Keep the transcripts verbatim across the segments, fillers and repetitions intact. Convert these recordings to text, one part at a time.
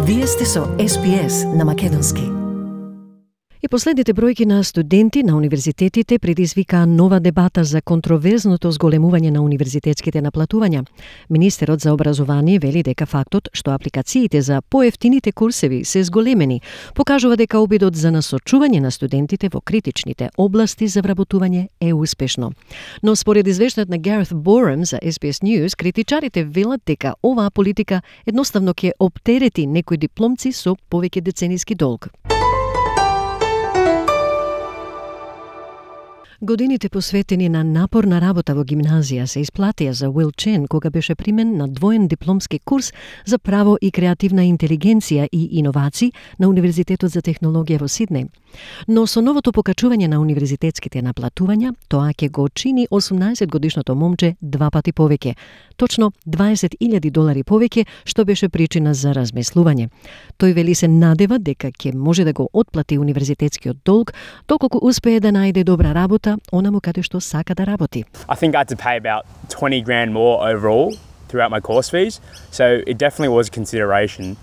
Вие сте со Ес Би Ес на македонски. И последните бројки на студенти на универзитетите предизвикаа нова дебата за контроверзното зголемување на универзитетските наплатувања. Министерот за образование вели дека фактот што апликациите за поевтините курсеви се зголемени покажува дека обидот за насочување на студентите во критичните области за вработување е успешно. Но според извештајот на Гарет Борем за Ес Би Ес News, критичарите велат дека оваа политика едноставно ќе оптерети некои дипломци со повеќе децениски долг. Годините посветени на напорна работа во гимназија се исплатија за Уил Чен кога беше примен на двоен дипломски курс за право и креативна интелигенција и иновации на Универзитетот за технологија во Сиднеј. Но со новото покачување на универзитетските наплатувања, тоа ќе го чини осумнаесет годишното момче два пати повеќе, точно дваесет илјади долари повеќе, што беше причина за размислување. Тој вели се надева дека ќе може да го отплати универзитетскиот долг, доколку успее да најде добра работа онаму каде што сака да работи. I think I had to pay about twenty grand more overall throughout my course fees, so it definitely was a consideration.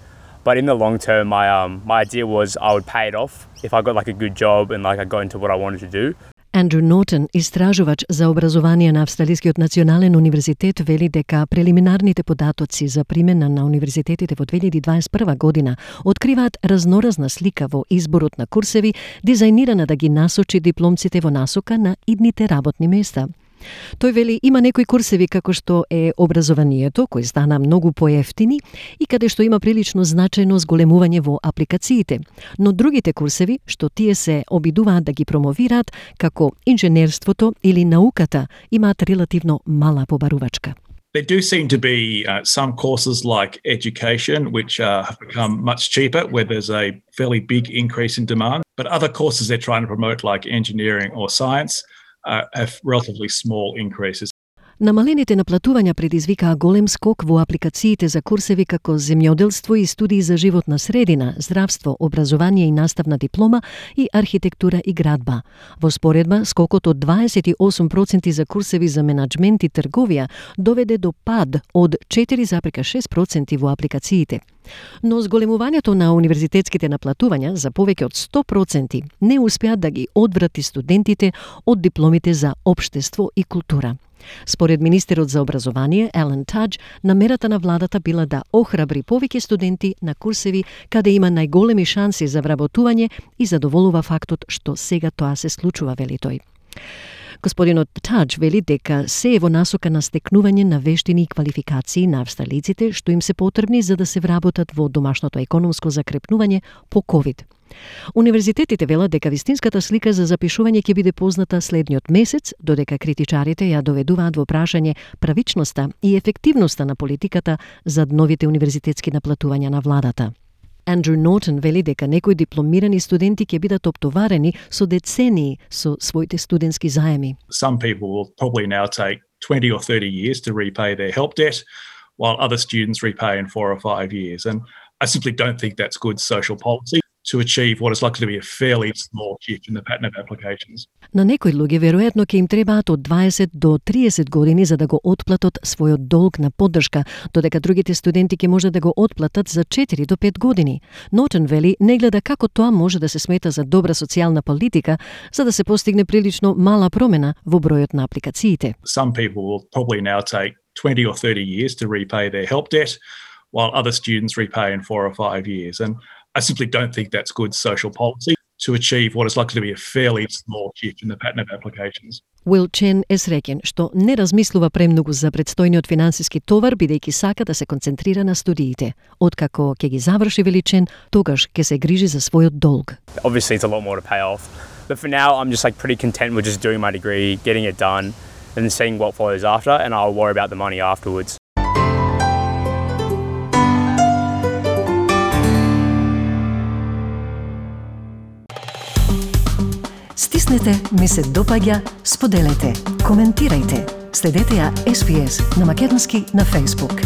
But in the long term, my um my idea was I would pay it off if I got like a good job and like I got into what I wanted to do. Андрю Нортон, истражувач за образование на Австралискиот национален универзитет, вели дека прелиминарните податоци за примена на универзитетите во две илјади дваесет и прва година откриваат разноразна слика во изборот на курсеви, дизајнирана да ги насочи дипломците во насока на идните работни места. Тој вели има некои курсеви како што е образованието, кои стана многу поевтини и каде што има прилично значајно зголемување во апликациите, но другите курсеви што тие се обидуваат да ги промовираат како инженерството или науката имаат релативно мала побарувачка. There do seem to be uh, some courses like education which uh, have become much cheaper where there's a fairly big increase in demand, but other courses they're trying to promote like engineering or science Uh, have relatively small increases. Намалените наплатувања предизвикаа голем скок во апликациите за курсеви како земјоделство и студии за животна средина, здравство, образование и наставна диплома и архитектура и градба. Во споредба, скокот од дваесет и осум проценти за курсеви за менаџмент и трговија доведе до пад од четири зарез и шест проценти во апликациите. Но зголемувањето на универзитетските наплатувања за повеќе од сто проценти не успеа да ги одврати студентите од дипломите за општество и култура. Според министерот за образование Елен Тадж, намерата на владата била да охрабри повеќе студенти на курсеви каде има најголеми шанси за вработување и задоволува фактот што сега тоа се случува, вели тој. Господинот Тадж вели дека се е во насока на стекнување на вештини и квалификации на австралиците што им се потребни за да се вработат во домашното економско закрепнување по ковид. Универзитетите велат дека вистинската слика за запишување ќе биде позната следниот месец, додека критичарите ја доведуваат во прашање правичноста и ефективноста на политиката за новите универзитетски наплатувања на владата. Андрю Нортон вели дека некои дипломирани студенти ќе бидат оптоварени со децении со своите студентски заеми. Some people will probably now take twenty or thirty years to repay their help debt, while other students repay in four or five years. And I simply don't think that's good social policy to achieve what is likely to be a fairly small shift in the pattern of applications. На некои луѓе веројатно ќе им требаат од дваесет до триесет години за да го отплатат својот долг на поддршка, додека другите студенти ќе може да го отплатат за четири до пет години. Нортон вели не гледа како тоа може да се смета за добра социјална политика за да се постигне прилично мала промена во бројот на апликациите. Some people will probably now take twenty or thirty years to repay their help debt, while other students repay in four or five years. And I simply don't think that's good social policy to achieve what is likely to be a fairly small shift in the pattern of applications. Уил Чен е среќен што не размислува премногу за предстојниот финансиски товар, бидејќи сака да се концентрира на студиите. Откако ќе ги заврши, вели Чен, тогаш ќе се грижи за својот долг. Obviously it's a lot more to pay off, but for now I'm just like pretty content with just doing my degree, getting it done, and seeing what follows after, and I'll worry about the money afterwards. Стиснете, ми се допаѓа, споделете, коментирајте. Следете ја Ес Би Ес на македонски на Facebook.